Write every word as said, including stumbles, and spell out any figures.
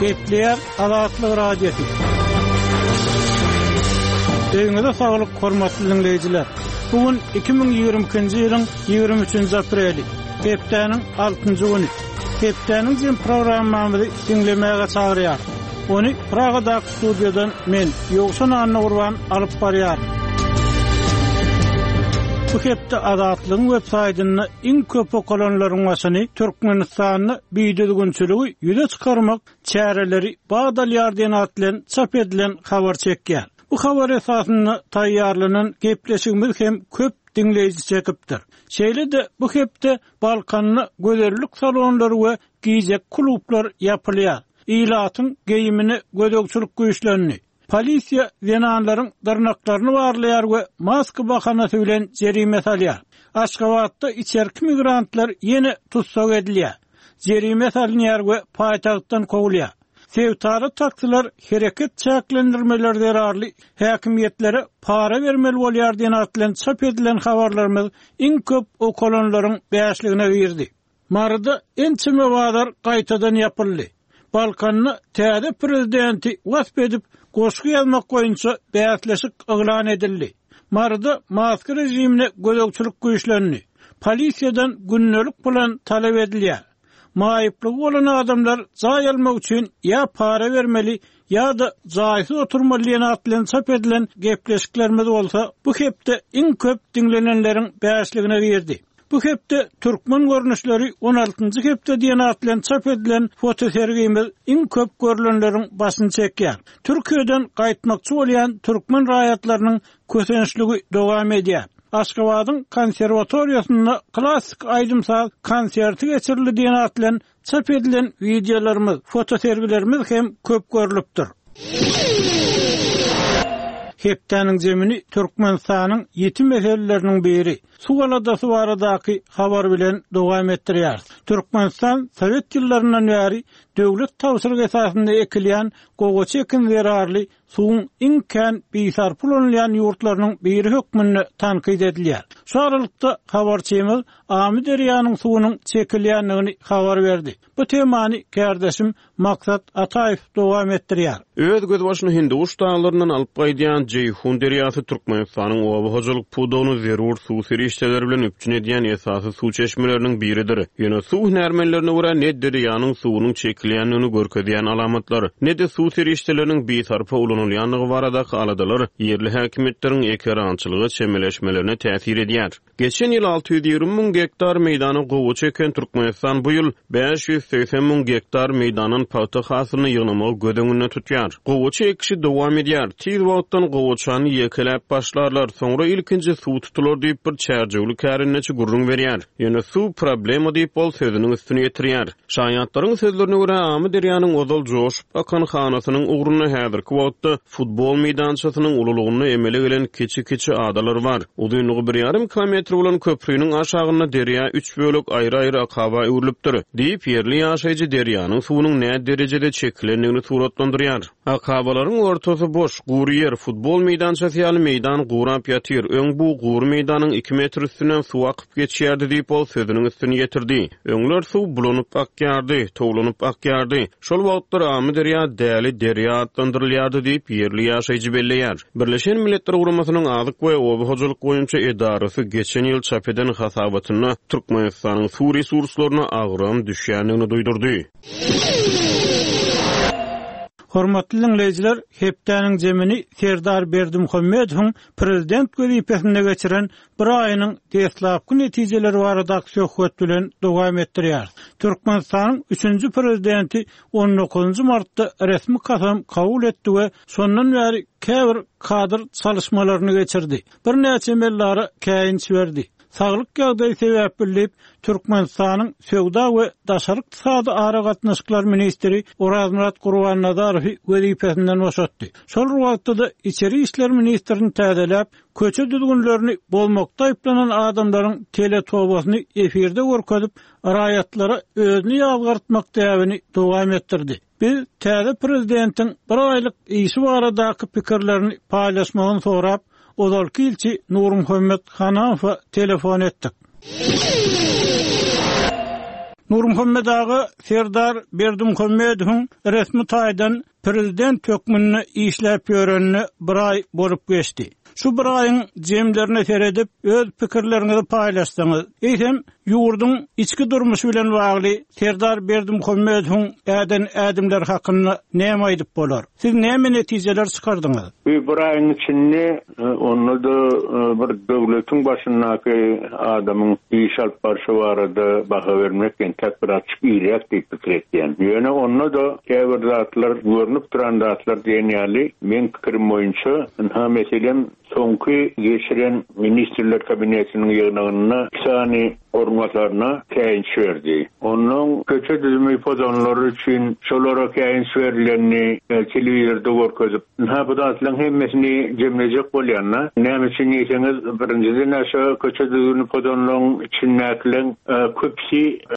Gepleýär Azatlyk Radiosy. Öýüňize saglyk, hormatly dinleýjiler. Bu gün iki müň ýigrimi ikinji ýylyň ýigrimi üçünji apreli, hepdäniň altynjy güni. Hepdäniň jem programmamyzy diňlemäge çagyrýar. Ony Pragadaky studiýadan men, Ýowşan Annagurban alyp barýar. Bu hepde Azatlygyň web saýtynda iň köp okalanlaryň başyny Türkmenistanda bidüzgünçiligi ýüze çykarmak çäreleri bat alýar diýen at bilen çap edilen habar çekýär. Bu habar esasynda taýýarlanan gepleşigimiz hem köp diňleýji çekipdir. Şeýle-de bu hepde Balkanda gözellik salonlary we gijeki klublar ýapylýar. Ilatyň geýimine gözegçilik güýçlendi. Polisiýa zenanlaryň dyrnaklaryny barlaýar we maska bahanasy bilen jerime salýar. Aşgabatda içerki migrantlar ýene tussag edilýär. Jerime salynýar we paýtagtdan kowulýar. Sebitara taksiler hereket çäklendirmeleri zerarly häkimiýetlere para bermeli bolýar diýen at bilen çap edilen habarlarymyz iň köp okalanlaryň bäşligine girdi. Maryda ençeme bazar gaýtadan ýapyldy. Balkanda täze prezidenti wasp edip goşgy ýazmak boýunça bäsleşik yglan edildi. Maryda maska rejimine gözegçilik güýçlendi. Polisiýadan gündelik plan talap edilýär. Maýyplygy bolan adamlar jaý almak üçin ýa para bermeli ýa-da jaýsyz oturmaly diýen at bilen çap edilen gepleşiklerimiz bolsa bu hepde iň köp diňlenenleriň bäşligine girdi. Bu hepde türkmen görnüşleri on altynjy hepde diýen at bilen çap edilen fotosergimiz iň köp görülenleriň başyny çekýär. Türkiýeden gaýtmakçy bolýan türkmen raýatlarynyň kösençligi dowam edýär. Aşgabadyň konserwatoriýasynda klassyk aýdym-saz konserti geçirildi diýen at bilen çap edilen wideolarymyz, fotosergilerimiz hem köp görülipdir. Hepdäniň zemini Türkmenistanyň ýiti meseleleriniň biri suw aladasy baradaky habar bilen dowam etdirýär. Türkmenistan Sowet ýyllaryndan bäri döwlet tabşyrygy esasynda ekilýän gowaça ekin zerarly suwuň iň kän bisarp ulanylýan ýurtlarynyň biri hökmünde tankyt edilýär. Şu aralykda habarçymyz Amyderýanyň suwunyň çekilýändigini habar berdi. Bu temany kardeşim Maksat Ataýew dowam etdirýär. Öz gözbaşyny Hinduguş daglaryndan alyp gaýdýan Jeýhun derýasy Türkmenistanyň oba hojalyk pudagyny zerur suw serişdeleri bilen üpjün edýän esasy suw çeşmeleriniň biridir. Ýöne suw hünärmenlerine görä ne derýanyň suwunyň çekilýändigini görkezýän alamatlar, ne-de suw serişdeleriniň bisarpa ulanylýandygy baradaky aladalar ýerli häkimiýetleriň ekerançylyga çemeleşmelerine täsir edýär. Geçen ýyl alty ýüz ýigrimi müň gektar meýdana gowaça eken Türkmenistan bu ýyl bäş ýüz segsen müň gektar meýdandan pagta hasylyny ýygnamagy göz öňünde tutýar. Gowaça ekişi dowam edýär. Tiz wagtdan gowaçany ýekeläp başlarlar, soňra ilkinji suw tutular diýip bir çärjewli kärendeçi gürrüň berýär. Ýöne suw problema diýip ol sözüniň üstüni ýetirýär. Şaýatlaryň sözlerine görä Amyderýanyň ozal joşup akan hanasynyň ugrunda häzirki wagtda futbol meýdançasynyň ululygynda emele gelen kiçi-kiçi adalar bar. Uzynlygy bir ýarym kilometr bolan köprüniň aşagynda derýa üç bölek aýry-aýry akaba öwrülipdir. Diýip ýerli ýaşaýjy derýanyň suwunyň nä derejede çekilendigini suratlandyrýar. Akabalaryň ortasy boş, gury ýer, futbol meýdançasy ýaly meýdan gurap ýatyr. Öň bu gury meýdanyň iki metr üstünden suw akyp geçýärdi diýip ol sözüniň üstüni ýetirdi. Öňler suw bulanyp akýardy, towlanyp akýardy. Şol wagtlar Amyderýa däli derýa atlandyrylýardy diýip ýerli ýaşaýjy belleýär. Birleşen Milletler Guramasynyň Azyk we Oba hojalyk boýunça edarasy geçen ýyl çap eden hasabatynda Türkmenistanyň suw resurslaryna agram düşýändigini duýdurdy. Hormatly dinleýjiler, hepdäniň zemini Serdar Berdimuhamedowyň prezident wezipesinde geçiren bir aýynyň deslapky netijeleri baradaky söhbet bilen dowam etdirýär. Türkmenistanyň üçünji prezidenti on dokuzynjy martda resmi kasam kabul etdi we şondan bäri käbir kadr çalışmalaryny geçirdi. Birnäçe mellara käýinç berdi. Saglyk ýagdaýy sebäpli diýip, Türkmenistanyň Söwda we Daşary ykdysady aragatnaşyklar ministri Orazmyrat Gurbannazarowy wezipesinden boşatdy. Şol wagtda-da içeri işler ministrini täzeläp, köçe düzgünlerini bozmakda aýyplanan adamlaryň teletobasyny efirde görkezip, raýatlara özüni ýazgartmak däbini dowam etdirdi. Biz täze prezidentiň bir aýlyk işi baradaky pikirlerini paýlaşmagyny sorap, ozalky ilçi Nurmuhammet Hanamowa telefon etdik. Nurmuhammet aga Serdar Berdimuhamedowyň resmi taýdan prezident hökmünde işläp ýörenine bir aý bolup geçdi. Şu bir aýyň jemlerine seredip öz pikirleriňizi paýlaşdyňyz. Eýsem ýurduň içki durmuşy bilen bagly Serdar Berdimuhamedowyň äden ädimler hakynda näme aýdyp bolar? Siz näme netijeler çykardyňyz? Bu bir aýyň içinde e, onda da e, bir döwletiň başyndaky adamyň iş alyp barşy barada baha bermek entek biraz irek diýip pikir etýän. Ýöne onda da käbir zatlar görünip duran zatlar diýen ýaly men pikirim boýunça ynha meselem soňky geçiren ministrler kabinetiniň ýygnagynda iki sany orunbasarına käýinç berdi. Ondan köçe düzümi pozanlary üçin şolara käýinç berilenini e, telewizorda görkezip, ynha bu zatlaryň hemmesini jemlejek bolýanna. Näme üçin diýseňiz, birinjiden aşa köçe düzümi pozanlaryň içindäkileň e, köpüsi